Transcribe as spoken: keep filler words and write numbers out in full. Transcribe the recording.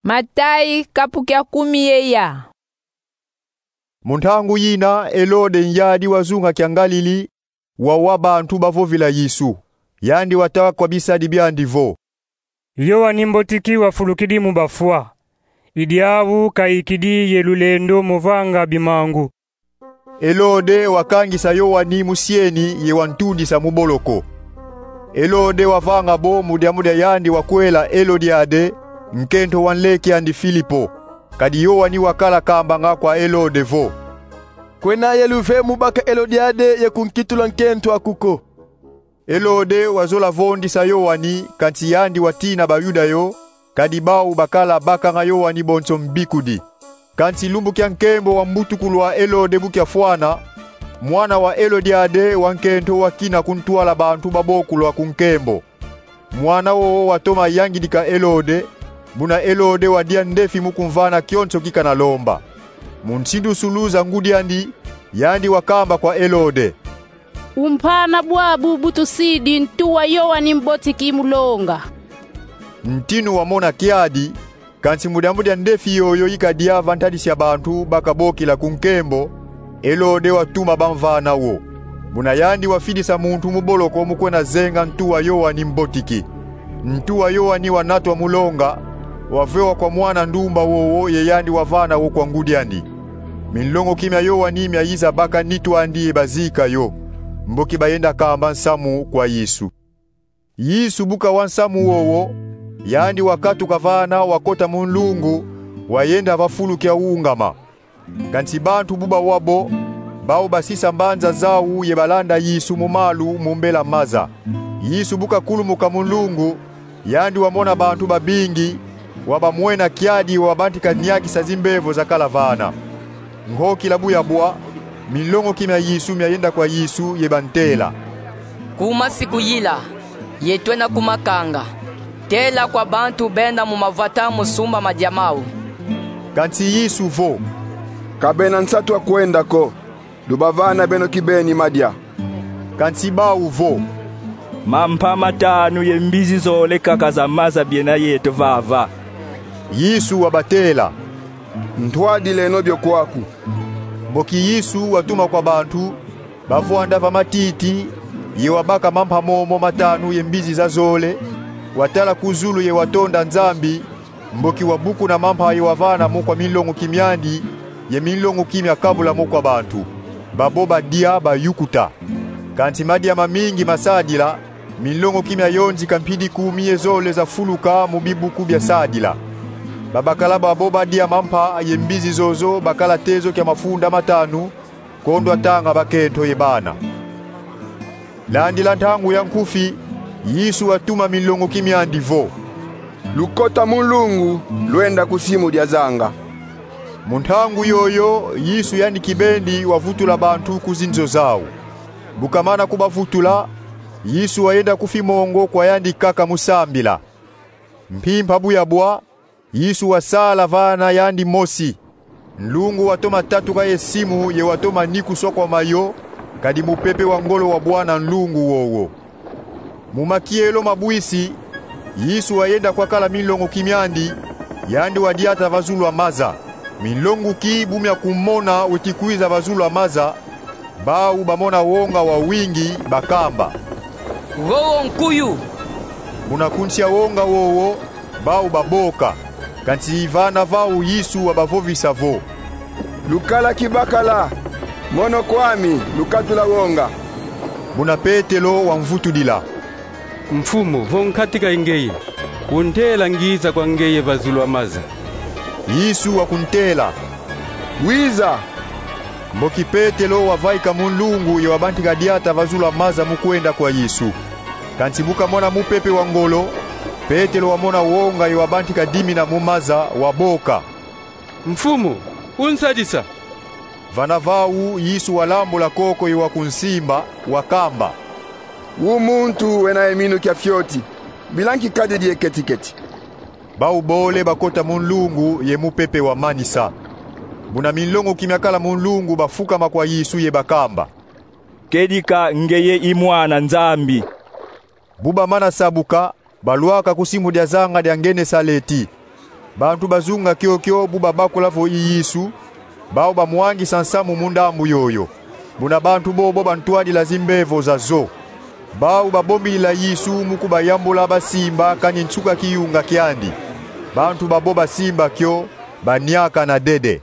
Matai, kapu kia kumi ye ya. Mu ntangu yina, Elode, nyadi wa zunga kia Ngalili, wawa bantu bavovila Yesu. Yandi watala kwa bisadi biandi vo: Yowani Mbotiki wafulukidi mu bafwa. I diawu kayikidi ye lulendo mu vanga bimangu. Elode wakangisa Yowani mu sieni ye wantudisa mu boloko. Elode wavanga bo mu diambu dia yandi wakwela Elodiade, nkento wa nleke andi Filipo. Kadi Yowani wakala kambanga kwa Elode vo: Kwena ye luvemu baka Elodiade ye kunkitula nkento aku ko. Elode wazola vondisa Yowani, kansi yandi watina Bayuda yo, kadi bau bakala bakanga Yowani bonso mbikudi. Kansi lumbu kia nkembo wa mbutukulu wa Elode bu kiafwana, mwana wa Elodiade wa nkento wakina kuntwala bantu babokulwa ku nkembo. Mwana wowo watoma yangidika Elode, buna Elode wadia ndefi mu kumvana kionso kikana lomba. Mu nsindusulu za ngudi andi, yandi wakamba kwa Elode: Umpana bwabu bu tusidi ntu wa Yowani Mbotiki mu longa. Ntinu wamona kiadi, kansi mu diambu dia ndefi yoyo ikadia va ntadisi ya bantu bakabokila ku nkembo, Elode watuma bamvana wo. Buna yandi wafidisa muntu mu boloko mu kwenda zenga ntu wa Yowani Mbotiki. Ntu wa Yowani wanatwa mu longa, wavewa kwa mwana ndumba wowo ye yandi wavana wo kwa ngudi andi. Minlongoki mia Yowani miayiza baka nitu andi ye bazika yo, mboki bayenda kamba nsamu kwa Yesu. Yesu bu kawa nsamu wowo, yandi wakatuka vana, wakota mu nlungu, wayenda va fulu kia wungama. Kansi bantu bu bawa bo, bau basisa mbanza zau ye balanda Yesu mu malu mu mbela maza. Yesu bu kakulumuka mu nlungu, yandi wamona bantu babingi, wabamwena kiadi, wabantika niakisa zimbevo zakala vana. Nkokila bu yabwa, minlongoki mia Yesu miayenda kwa Yesu ye bantela: Kuma sikuyila, ye twena kumakanga. Tela kwa bantu benda mu mavata mu sumba madia mau. Kansi Yesu vo: Ka bena nsatu a kwenda ko, lubavana beno kibeni madia. Kansi bau vo: Mampa matanu ye mbizi zole kaka za maza biena yeto vava. Yesu wabatela: Ntwadileno bio kwaku. Mboki Yesu watuma kwa bantu, bavwanda va matiti, ye wabaka mampa momo matanu ye mbizi zazole, watala ku zulu ye watonda Nzambi, mboki wabukuna mampa ye wavana mo kwa minlongoki miandi, ye minlongoki miakabula mo kwa bantu. Babo badia, bayukuta. Kansi madia mamingi masadila, minlongoki miayonzika mpidi kumi ye zole zafuluka mu bibuku bia sadila. Babakala babo badia mampa ye mbizi zozo bakala tezo kia mafunda matanu, kondwa tanga bakento ye bana. Landila ntangu ya nkufi, Yesu watuma minlongoki miandi vo: Lukota mu nlungu, lwenda ku simu dia zanga. Mu ntangu yoyo, Yesu yandi kibeni wavutula bantu ku zinzo zau. Bu kamana kubavutula, Yesu wayenda ku fimongo kwa yandi kaka mu sambila. Mpimpa bu yabwa, Yesu wasala vana yandi mosi. Nlungu watoma tatuka ye simu ye watoma nikuswa kwa mayo, kadi mupepe wa ngolo wabwana nlungu wowo. Mu makielo ma bwisi, Yesu wayenda kwakala minlongoki miandi, yandi wadiata va zulu a maza. Minlongoki bu miakumona weti kwiza va zulu a maza, bau bamona wonga wawingi, bakamba: Wowo nkuyu. Muna kunsia wonga wowo, bau baboka. Kansi vana vau Yesu wabavovisa vo: Lukala kibakala, mono kwami, lukatula wonga. Muna Petelo wamvutudila: Mfumu, vo nkatika ye ngeye, untela ngiza kwa ngeye va zulu a maza. Yesu wakuntela: Wiza. Mboki Petelo wavaika mu nlungu ye wabantika diata va zulu a maza mu kwenda kwa Yesu. Kansi bu kamona mupepe wa ngolo, Petelo wamona wonga ye wabantika dimina mu maza, waboka: Mfumu, unsadisa. Vana vau Yesu walambula koko ye wakunsimba, wakamba: Wu muntu wena ye minu kia fioti, bila nkikadidi ye keti-keti. Bau bole bakota mu nlungu ye mupepe wamanisa. Muna minlongoki miakala mu nlungu bafukama kwa Yesu ye bakamba: Kedika, ngeye i Mwana Nzambi. Bu bamana sabuka, balwaka ku simu dia zanga dia Ngenesaleti. Bantu bazunga kiokio bu babakula vo i Yesu, bau bamwangisa nsamu mu ndambu yoyo. Buna bantu bobo bantwadila zimbevo zazo. Bau babombilila Yesu mu kubayambula basimba kani nsuka kiyunga kiandi. Bantu babo basimba kio, baniakana dede.